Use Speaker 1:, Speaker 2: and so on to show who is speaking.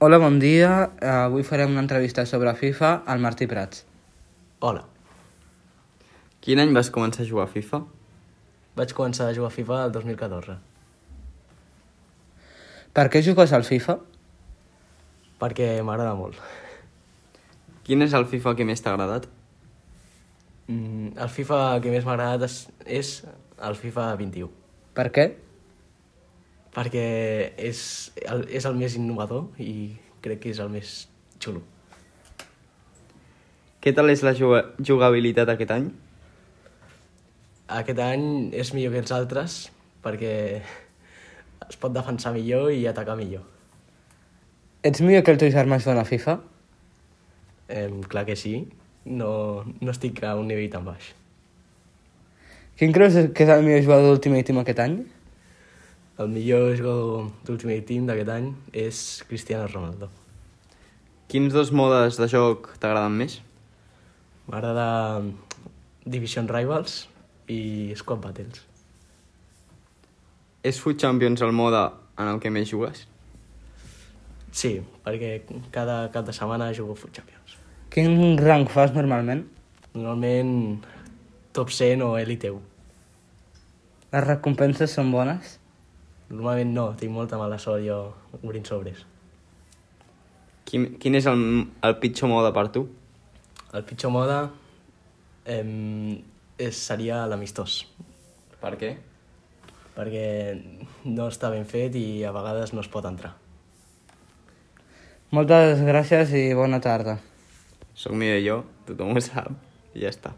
Speaker 1: Hola, bon dia. Avui farem una entrevista sobre FIFA al Martí Prats.
Speaker 2: Hola.
Speaker 3: Quin any vas començar a jugar a FIFA?
Speaker 2: Vaig començar a jugar a FIFA el 2014.
Speaker 1: Per què jugues al FIFA?
Speaker 2: Perquè m'agrada molt.
Speaker 3: Quin és el FIFA que més t'ha agradat?
Speaker 2: El FIFA que més m'ha agradat és el FIFA 21.
Speaker 1: Per què?
Speaker 2: Perquè és el més innovador i crec que és el més xulo.
Speaker 3: Què tal és la jugabilitat aquest any?
Speaker 2: Aquest any és millor que els altres perquè es pot defensar millor i atacar millor.
Speaker 1: Ets millor que el teu germà jugant a FIFA?
Speaker 2: Clar que sí. No estic a un nivell tan baix.
Speaker 1: Quin creus que és el millor jugador d'Ultimate Team aquest any?
Speaker 2: El millor jugador d'Ultimate Team d'aquest any és Cristiano Ronaldo.
Speaker 3: Quins dos modes de joc t'agraden més?
Speaker 2: M'agrada Division Rivals i Squad Battles.
Speaker 3: És Foot Champions el mode en el que més jugues?
Speaker 2: Sí, perquè cada cap de setmana jugo Foot Champions.
Speaker 1: Quin rang fas normalment?
Speaker 2: Normalment top 100 o Elite 1.
Speaker 1: Les recompenses són bones?
Speaker 2: Normalment no, tinc molta mala sort jo obrint sobres.
Speaker 3: Quin és el pitjor mode per tu?
Speaker 2: El pitjor mode seria l'amistós,
Speaker 3: Per què?
Speaker 2: perquè no està ben fet i a vegades no es pot entrar.
Speaker 1: Moltes gràcies i bona tarda.
Speaker 3: Soc millor jo, tothom ho sap, i ja està.